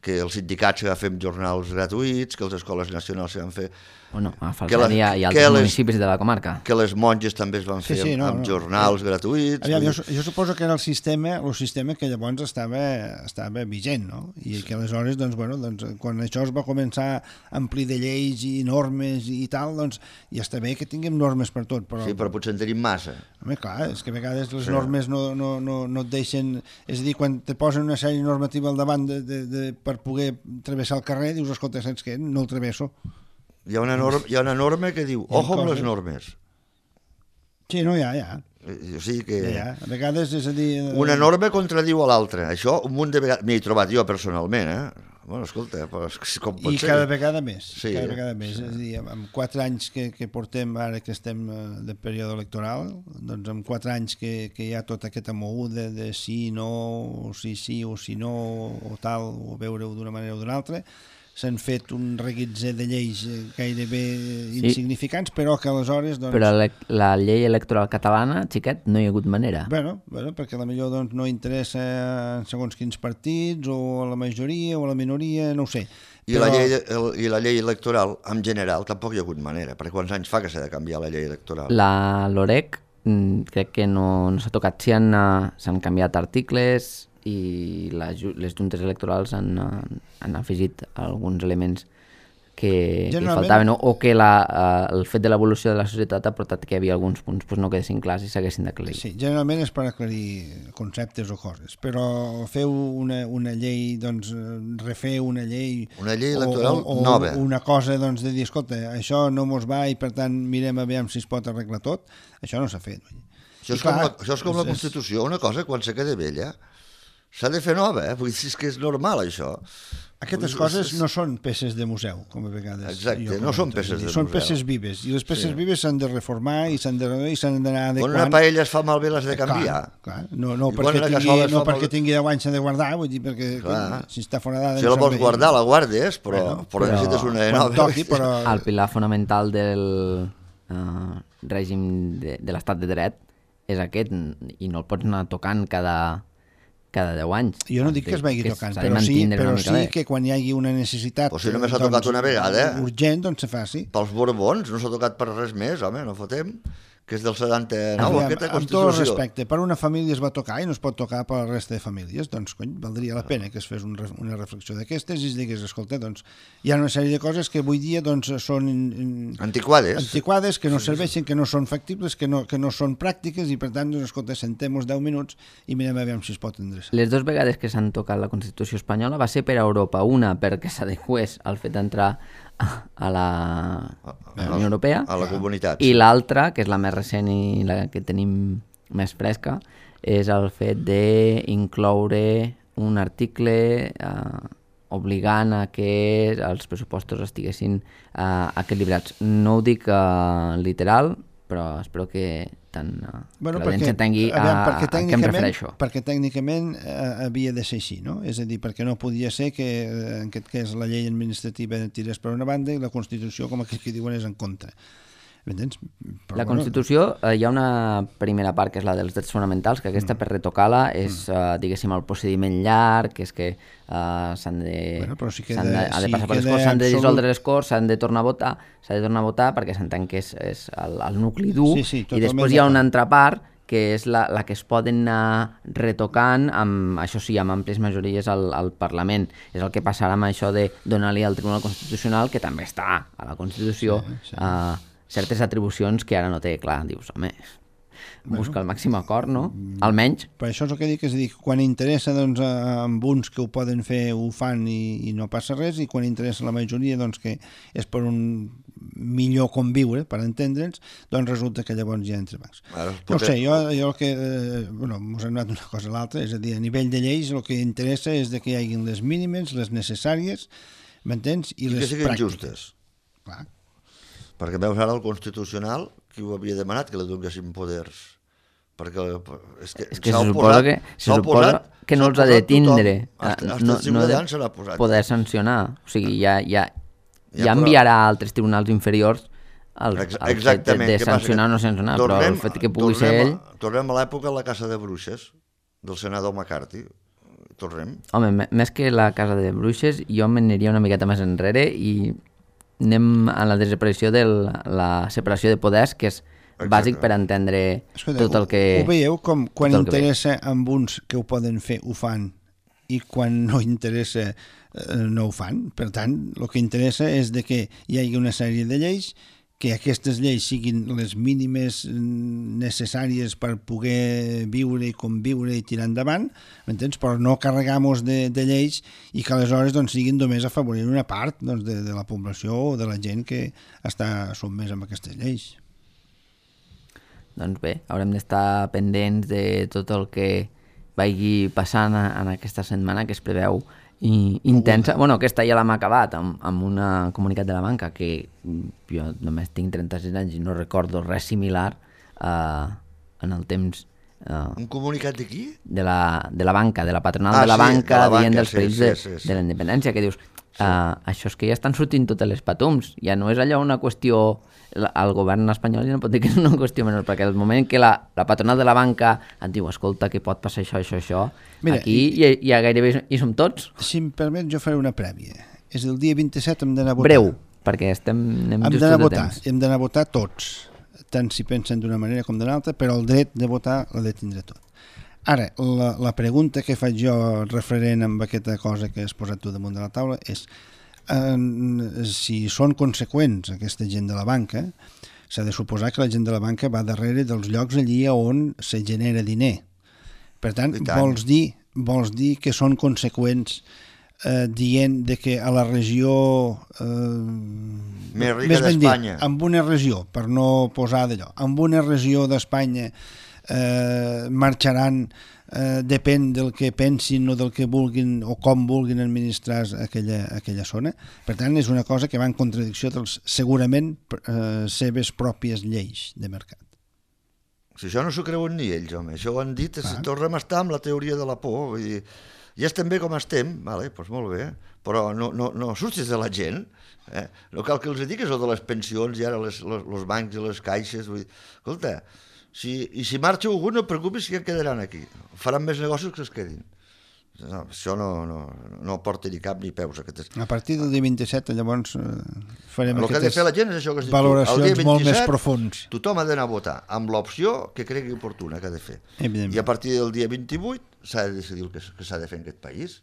que els sindicats que fem jornals gratuïts, que les escoles nacionals se van fer... Bueno, a Falset i altres municipis de la comarca. Que les monges també es van fer amb jornals gratuïts. Aviam, jo suposo que era el sistema que llavors estava vigent, no? I que aleshores, doncs, quan això es va començar a omplir de lleis i normes i tal, doncs, ja està bé que tinguem normes per tot. Però... Sí, però potser en tenim massa. Home, clar, és que a vegades les normes no et deixen... És a dir, quan te posen una sèrie normativa al davant per poder travessar el carrer, dius, escolta, saps què? No el travesso. Hi ha una norma que diu, ojo amb les normes. Sí, no, ja. O sigui que... Ja. A vegades, és a dir... Una norma contradiu a l'altra. Això un munt de vegades... M'hi he trobat jo personalment, Bueno, escolta, com pot ser? I cada vegada més. Sí, cada vegada més. És a dir, amb 4 anys que portem, ara que estem de període electoral, doncs amb 4 anys que hi ha tot aquest amou de sí, no, o sí, o sí, no, o tal, o veure-ho d'una manera o d'una altra, s'han fet un reguitzell de lleis gairebé insignificants, però que aleshores... Doncs... Però la llei electoral catalana, xiquet, no hi ha hagut manera. Bueno, perquè potser doncs, no interessa segons quins partits, o a la majoria, o a la minoria, no ho sé. I la llei electoral, en general, tampoc hi ha hagut manera, perquè quants anys fa que s'ha de canviar la llei electoral? La LOREC crec que no s'ha tocat. Sí, s'han canviat articles i les juntes electorals han afegit alguns elements que faltaven, o que el fet de l'evolució de la societat ha portat que hi havia alguns punts que no quedessin clars i s'haguessin d'aclarir. Sí, generalment és per aclarir conceptes o coses, però feu una llei, doncs refer una llei electoral nova, o una cosa doncs, de dir, escolta, això no mos va i per tant mirem a veure si es pot arreglar tot, això no s'ha fet. Això és com la Constitució, una cosa quan se queda vella s'ha de fer nova, vull dir, és que és normal això. Aquestes coses no són peces de museu, com a vegades. Exacte, no són peces de museu. Són peces vives, i les peces vives s'han de reformar i s'han d'anar adequant. Quan una paella es fa malbé l'has de canviar. Clar. No perquè tingui 10 anys s'ha de guardar, vull dir, perquè si està fora d'edat... Si la vols guardar, la guardes, però necessites una de nova. El pilar fonamental del règim de l'estat de dret és aquest, i no el pots anar tocant cada 10 anys. Jo no dic que es vagi tocant, però sí que quan hi hagi una necessitat si només s'ha tocat una vegada urgent, doncs se faci. Pels Borbons no s'ha tocat per res més, home, no fotem, que és del 79, aquesta Constitució. Amb tot el respecte, per una família es va tocar i no es pot tocar per la resta de famílies, doncs valdria la pena que es fes una reflexió d'aquestes i es digués, escolta, doncs hi ha una sèrie de coses que avui dia doncs són antiquades, que no serveixen, que no són factibles, que no són pràctiques, i per tant, doncs, escolta, sentem-nos 10 minuts i mirem a veure si es pot endreçar. Les 2 vegades que s'han tocat la Constitució espanyola va ser per a Europa, una perquè s'adequés al fet d'entrar a la Unió Europea, a la comunitat, i l'altra, que és la més recent i la que tenim més fresca, és el fet d'incloure un article obligant a que els pressupostos estiguessin equilibrats. No ho dic literal, però espero que l'audiència entengui a què em refereixo. Perquè tècnicament havia de ser així, no? És a dir, perquè no podia ser que en aquest cas la llei administrativa tirés per una banda i la Constitució, com aquells que diuen, és en contra. M'entens? La Constitució, hi ha una primera part que és la dels drets fonamentals, que aquesta per retocar-la és, diguéssim, el procediment llarg, que és que s'han de passar per les Corts, s'han de dissoldre les Corts, s'han de tornar a votar perquè s'entén que és el nucli dur, i després hi ha una altra part que és la que es poden anar retocant, això sí, amb àmplies majories al Parlament. És el que passarà amb això de donar-li al Tribunal Constitucional, que també està a la Constitució, certes atribucions que ara no té. Clar, dius, home, busca el màxim acord, no? Almenys. Per això és el que dic, és a dir, quan interessa doncs, amb uns que ho poden fer, ho fan i no passa res, i quan interessa la majoria, doncs, que és per un millor conviure, per entendre'ns, doncs resulta que llavors hi ha entrebancs. No sé, jo el que... mos hem anat una cosa a l'altra, és a dir, a nivell de lleis el que interessa és que hi hagin les mínimes, les necessàries, m'entens? I les que siguin pràctiques. Justes. Clar. Perquè veus ara el Constitucional, qui ho havia demanat que li donessin poders? Perquè és que se suposa que no els ha de tindre, no de poder sancionar. O sigui, ja enviarà a altres tribunals inferiors el fet de sancionar o no sancionar, però el fet que pugui ser ell... Tornem a l'època de la caça de bruixes. del senador McCarthy. Tornem. Home, més que la casa de bruixes, jo m'aniria una miqueta més enrere i anem a la desaparició de la separació de poders, que és bàsic per entendre tot el que... Ho veieu com quan interessa amb uns que ho poden fer, ho fan, i quan no interessa no ho fan. Per tant, el que interessa és de que hi hagi una sèrie de lleis, que aquestes lleis siguin les mínimes necessàries per poder viure i conviure i tirar endavant, m'entens? Però no carregar-nos de lleis i que aleshores doncs, siguin només a favorir una part doncs, de la població o de la gent que està sotmès amb aquestes lleis. Doncs bé, haurem d'estar pendents de tot el que vagi passant en aquesta setmana que es preveu intensa. Bueno, aquesta ja l'hem acabat amb un comunicat de la banca que jo només tinc 36 anys i no recordo res similar en el temps. Un comunicat de qui? De la banca, de la patronal de la banca, dient dels perills de la independència, que dius, això és que ja estan sortint totes les patums, ja no és allò una qüestió... El govern espanyol ja no pot dir que és una qüestió menor, perquè el moment que la patronal de la banca et diu, escolta, que pot passar això, mira, aquí ja gairebé hi som tots. Si em permet, jo faré una prèvia. És el dia 27, hem d'anar a votar. Breu, perquè anem justos de temps. Hem d'anar a votar tots, tant si pensen d'una manera com d'una altra, però el dret de votar l'ha de tindre tot. Ara, la pregunta que faig jo referent amb aquesta cosa que has posat tu damunt de la taula és si són conseqüents aquesta gent de la banca, s'ha de suposar que la gent de la banca va darrere dels llocs allí on se genera diner. Per tant, vols dir que són conseqüents dient de que a la regió més rica d'Espanya, en una regió, per no posar d'allò, en una regió d'Espanya marxaran, depèn del que pensin o del que vulguin o com vulguin administrar aquella zona. Per tant, és una cosa que va en contradicció dels, segurament, seves pròpies lleis de mercat. Si això no s'ho creuen ni ells, home. Això ho han dit, tornem a estar amb la teoria de la por. Vull dir, ja estem bé com estem, vale, doncs molt bé, però no surtis de la gent. No cal que els digui això de les pensions i ara els bancs i les caixes. Vull dir, escolta, si marxa algú, no et preocupis que ja quedaran aquí. Faran més negocis que es quedin. No, això no porta ni cap ni peus. A partir del dia 27, llavors, farem el que ha de fer la gent és això que has dit valoracions tu. El dia 27, molt més profuns. Tothom ha d'anar a votar amb l'opció que cregui oportuna que ha de fer. I a partir del dia 28 s'ha de decidir el que s'ha de fer en aquest país.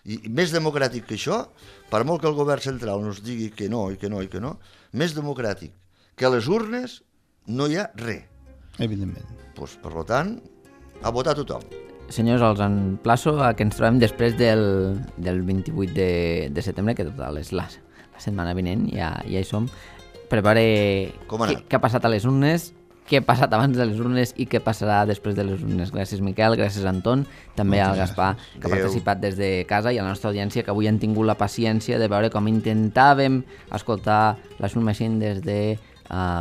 I més democràtic que això, per molt que el govern central nos digui que no, més democràtic que a les urnes no hi ha res. Evidentment. Pues, per tant, a votar tothom. Senyors, els emplaço a que ens trobem després del 28 de setembre, que total és la setmana vinent, ja hi som, per veure què ha passat a les urnes, què ha passat abans de les urnes i què passarà després de les urnes. Gràcies, Miquel, gràcies, Anton, també al Gaspar, que ha participat des de casa, i a la nostra audiència, que avui han tingut la paciència de veure com intentàvem escoltar la Soul Machine des de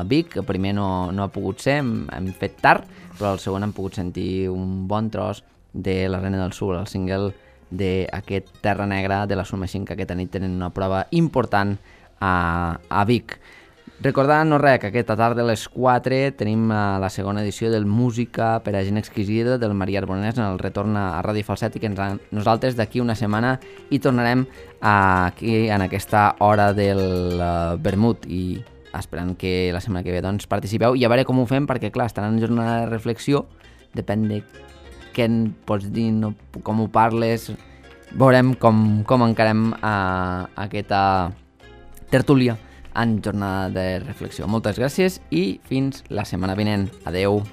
Vic, que primer no ha pogut ser, hem fet tard, però el segon hem pogut sentir un bon tros de La Reina del Sur, el single d'aquest Terra Negra de la Soul Machine, que aquesta nit tenen una prova important a Vic. Recordant, que aquesta tarda a les 4 tenim la segona edició del Música per a gent exquisida del Maria Arbonès en el retorn a Ràdio Falset, i que nosaltres d'aquí una setmana hi tornarem aquí en aquesta hora del vermut, i esperant que la setmana que ve doncs, participeu i a veure com ho fem, perquè clar, estarà en jornada de reflexió, depèn de què en pots dir, com ho parles, veurem com encarem aquesta tertúlia en jornada de reflexió. Moltes gràcies i fins la setmana vinent. Adeu.